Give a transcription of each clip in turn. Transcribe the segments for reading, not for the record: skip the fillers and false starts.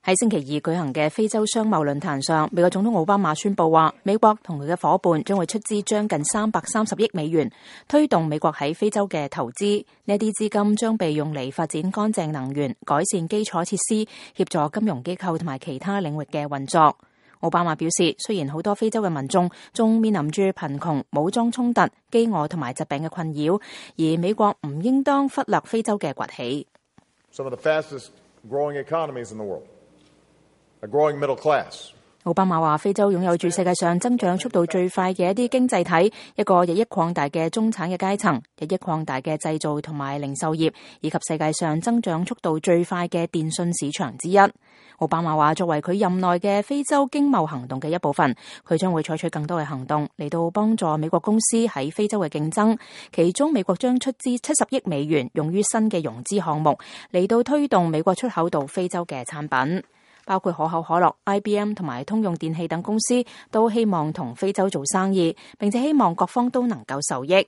喺星期二舉行嘅非洲商貿論壇上，美國總統奧巴馬宣布話，美國同佢嘅夥伴將會出資將近330億美元，推動美國喺非洲嘅投資。呢啲資金將被用嚟發展乾淨能源、改善基礎設施、協助金融機構同埋其他領域嘅運作。奧巴馬表示，雖然好多非洲嘅民眾仲面臨住貧窮、武裝衝突、飢餓同埋疾病嘅困擾，而美國唔應當忽略非洲嘅崛起。Some of the fastest growing economies in the world. A growing middle class. 奧巴馬話，非洲擁有住世界上增長速度最快嘅一啲經濟體，一個日益擴大嘅中產嘅階層，日益擴大嘅製造同埋零售業，以及世界上增長速度最快嘅電信市場之一。奧巴馬話，作為佢任內嘅非洲經貿行動嘅一部分，佢將會採取更多嘅行動嚟到幫助美國公司喺非洲嘅競爭。其中，美國將出資70億美元用於新嘅融資項目，嚟到推動美國出口到非洲嘅產品。包括可口可樂、IBM 同埋通用電器等公司都希望同非洲做生意，並且希望各方都能夠受益。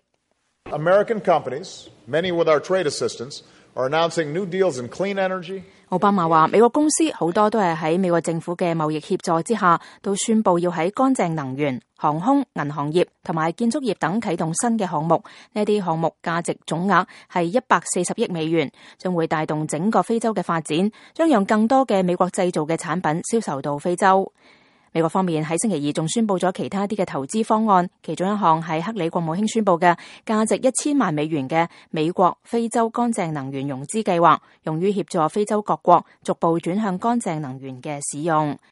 American companies, many with our trade assistance, are announcing new deals in clean energy. 奧巴馬話，美國公司好多都係喺美國政府嘅貿易協助之下，都宣布要喺乾淨能源、航空、銀行業同埋建築業等啟動新嘅項目。呢啲項目價值總額係140億美元，將會帶動整個非洲嘅發展，將讓更多嘅美國製造嘅產品銷售到非洲。美國方面喺星期二仲宣布咗其他啲嘅投資方案，其中一項係克里國務卿宣布嘅價值1000萬美元嘅美國非洲乾淨能源融資計劃，用於協助非洲各國逐步轉向乾淨能源嘅使用。